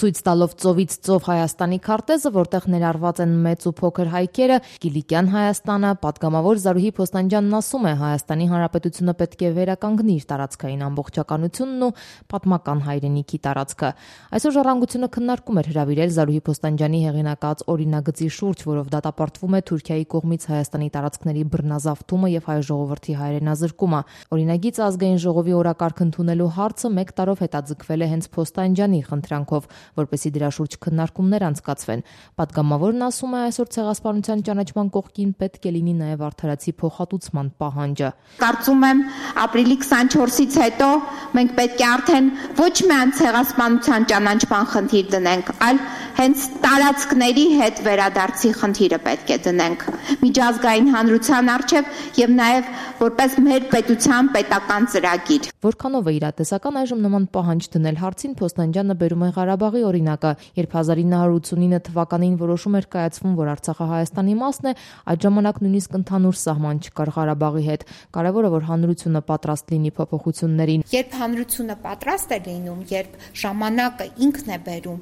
Ցույց տալով ծովից ծով Հայաստանի քարտեզը, որտեղ ներառված են մեծ ու փոքր հայքերը, Կիլիկյան Հայաստանը, պատգամավոր Զարուհի Փոստանջյանն ասում է, Հայաստանի Հանրապետությունը պետք է վերականգնի իր տարածքային ամբողջականությունն ու պատմական հայրենիքի տարածքը։ Այսօր ժառանգությունը քննարկում էր հրավիրել Զարուհի Փոստանջյանի հեղինակած օրինագծի շուրջ, որով դատապարտվում է Թուրքիայի կողմից Հայաստանի տարածքների բռնազավթումը եւ հայ ժողովրդի հայրենազրկումը։ Օրինագիծը ազգային ժողովի օրակարգ ընդունելու հարցը 1 տարով հետաձգվել է հենց Փոստանջյանի խնդրանքով, որպեսզի դրա շուրջ քննարկումներ անցկացվեն։ Պատգամավորն ասում է, այսօր ցեղասպանության ճանաչման կողքին պետք է լինի նաև արդարացի փոխհատուցման պահանջը։ Կարծում եմ, ապրիլի 24-ից հետո մենք պետք է արդեն ոչ միայն ցեղասպանության ճանաչման խնդիր դնենք, այլ հենց տարածքների հետ վերադարձի խնդիրը պետք է դնենք միջազգային հանրության առջև եւ նաեւ որպես մեր պետության պետական ծրագիր։ Որքանով է իրատեսական այժմ նման պահանջ դնել հարցին Փոստանջյանը բերում է Ղարաբաղի օրինակը, երբ 1989 թվականին որոշում էր կայացվում, որ Արցախը Հայաստանի մասն է, այդ ժամանակ նույնիսկ ընդհանուր սահման չկար Ղարաբաղի հետ։ Կարևորը որ հանրությունը պատրաստ լինի փոփոխություններին։ Երբ հանրությունը պատրաստ է լինում, երբ ժամանակը ինքն է բերում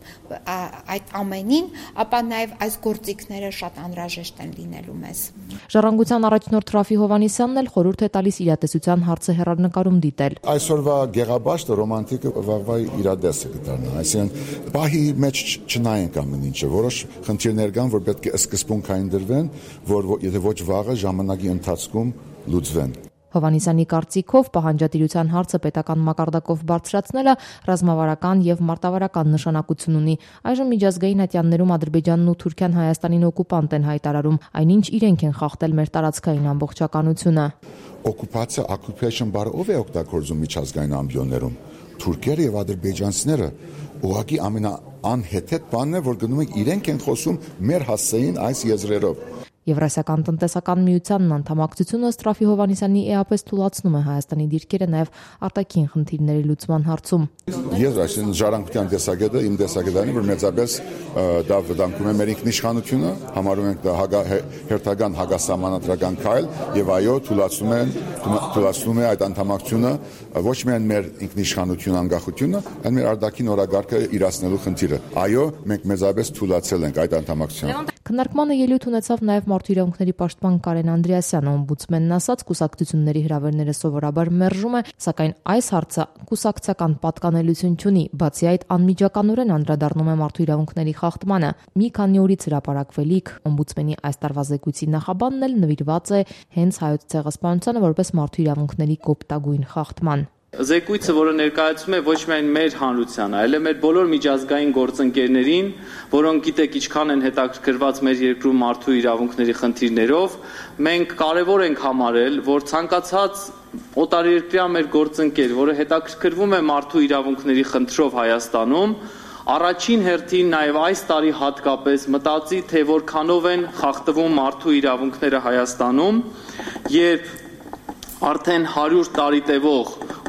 այդ ամենին, ապա նաև այս գործիքները շատ անհրաժեշտ են լինելու մեզ։ Ժառանգության առաջնորդ Ռաֆի Հովհաննիսյանն էլ խորհուրդ է տալիս իրատեսության հարցը հեռանկարում դիտել։ Այսօրվա գեղաբաշտը ռոմանտիկը վաղվա իրադեսը կդառնա, այսինքն պահի մեջ չնայենք ամեն ինչը, որոշ խնդիրներ կան, որ պետք է սկզբունքային դրվեն, որ եթե ոչ վաղը ժամանակի ընթացքում լուծվեն։ Հովհաննիսյանի կարծիքով պահանջատիրության հարցը պետական մակարդակով բարձրացնելը ռազմավարական եւ մարտավարական նշանակություն ունի։ Այժմ միջազգային ատյաններում Ադրբեջանն ու Թուրքիան Հայաստանին օկուպանտ են հայտարարում, այնինչ իրենք են խախտել մեր տարածքային ամբողջականությունը։ Օկուպացիա, occupation բառը ով է օգտագործում միջազգային ամբիոններում։ Թուրքերը եւ ադրբեջանցիները ուղղակի ամենաանհեթեթ բանն է, որ գնում են իրենք են խոսում մեր հասցեին այս եզրերով։ Եվրասիական տնտեսական միությանն անդամակցությունը Ռաֆի Հովհաննիսյանի էապես թույլատնում է Հայաստանի դիրքերը նաև արտաքին խնդիրների լուծման հարցում։ Ես այսինքն ժառանգության տեսակետը իմ տեսակետն է, որ մեծապես դա վտանգում է մեր ինքնիշխանությունը, համարում ենք դա հերթական հակասահմանադրական քայլ եւ այո, թույլատնում է այդ անդամակցությունը ոչ միայն մեր ինքնիշխանություն անկախությունը, այլ մեր արտաքին օրագարկը իրացնելու խնդիրը։ Այո, մենք մեծապես թույլատել ենք այդ անդամակցությանը։ Քննարկմանը ելույթ ունեցավ նաև Մարդու իրավունքների պաշտպան Կարեն Անդրեասյանը, օմբուդսմենն ասաց, կուսակցությունների հրավերները սովորաբար մերժում է, սակայն այս հարցը կուսակցական պատկանելություն չունի, բացի այդ անմիջականորեն անդրադառնում է մարդու իրավունքների խախտմանը։ Մի քանի օրից հրապարակվելիք օմբուդսմենի այս տարվա զեկույցի նախաբանն էլ նվիրված է հենց հայոց ցեղասպանությանը որպես մարդու իրավունքների կոպտագույն խախտման։ Զեկույցը, որը ներկայացում է ոչ միայն մեր հանրությանը, այլ մեր բոլոր միջազգային գործընկերներին, որոնք գիտեք ինչքան են հետաքրքրված մեր երկրում մարդու իրավունքների խնդիրներով, մենք կարևոր ենք համարել, որ ցանկացած օտարերկրյա մեր գործընկեր, որը հետաքրքրվում է մարդու իրավունքների խնդրով Հայաստանում, առաջին հերթին նաև այս տարի հատկապես մտածի, թե որքանով են խախտվում մարդու իրավունքները Հայաստանում, երբ արդեն 100 տարի տևող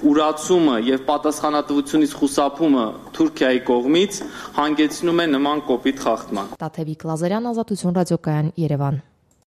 ուրացումը եւ պատասխանատվությունից խուսափումը Թուրքիայի կողմից հանգեցնում է նման կոպիտ խախտման։ Տաթևիկ Լազարյան, Ազատություն ռադիոկայան, Երևան։